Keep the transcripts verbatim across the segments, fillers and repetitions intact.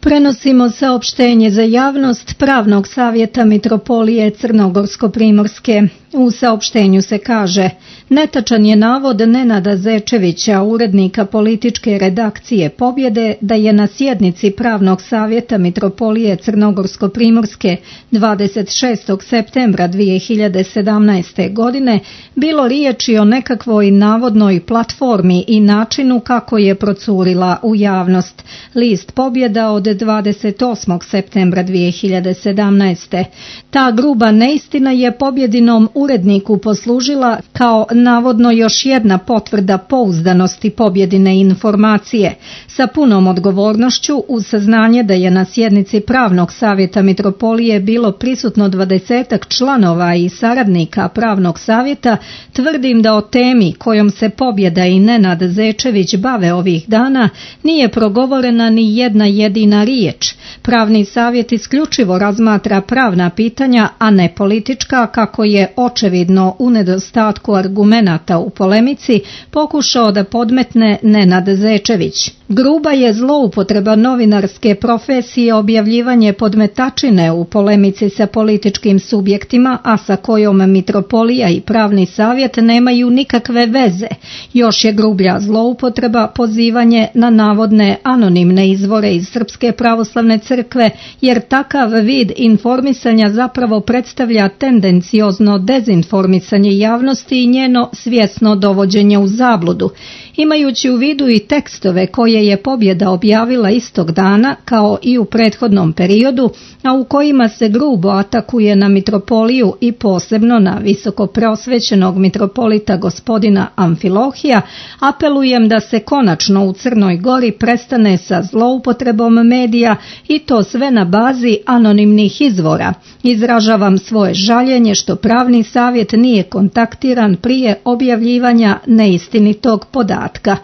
Prenosimo saopštenje za javnost Pravnog savjeta Mitropolije Crnogorsko-Primorske. U saopštenju se kaže: netačan je navod Nenada Zečevića, urednika političke redakcije Pobjede, da je na sjednici Pravnog savjeta Mitropolije Crnogorsko-Primorske dvadeset šestog septembra dvije hiljade sedamnaeste. godine bilo riječi o nekakvoj navodnoj platformi i načinu kako je procurila u javnost. List Pobjeda od dvadeset osmog septembra dvije hiljade sedamnaeste. Ta gruba neistina je Pobjedinom uredniku poslužila kao navodno još jedna potvrda pouzdanosti Pobjedine informacije, sa punom odgovornošću uz saznanje da je na sjednici Pravnog savjeta Mitropolije bilo prisutno dvadesetak članova i saradnika Pravnog savjeta. Tvrdim da o temi kojom se Pobjeda i Nenad Zečević bave ovih dana nije progovorena ni jedna jedina riječ. Pravni savjet isključivo razmatra pravna pitanja, a ne politička, kako je očevidno u nedostatku argumenata u polemici pokušao da podmetne Nenad Zečević. Gruba je zloupotreba novinarske profesije objavljivanje podmetačine u polemici sa političkim subjektima, a sa kojom Mitropolija i Pravni savjet nemaju nikakve veze. Još je grublja zloupotreba pozivanje na navodne anonimne izvore iz Srpske pravoslavne crkve, jer takav vid informisanja zapravo predstavlja tendenciozno dezinformisanje javnosti i njeno svjesno dovođenje u zabludu. Imajući u vidu i tekstove koje je Pobjeda objavila istog dana, kao i u prethodnom periodu, a u kojima se grubo atakuje na Mitropoliju i posebno na visoko preosvećenog mitropolita gospodina Amfilohija, apelujem da se konačno u Crnoj Gori prestane sa zloupotrebom medija i to sve na bazi anonimnih izvora. Izražavam svoje žaljenje što Pravni savjet nije kontaktiran prije objavljivanja neistinitog podatka.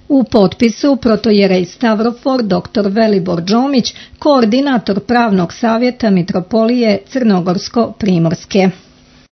U potpisu protojerej Stavrofor doktor Velibor Đomić, koordinator Pravnog savjeta Mitropolije Crnogorsko-Primorske.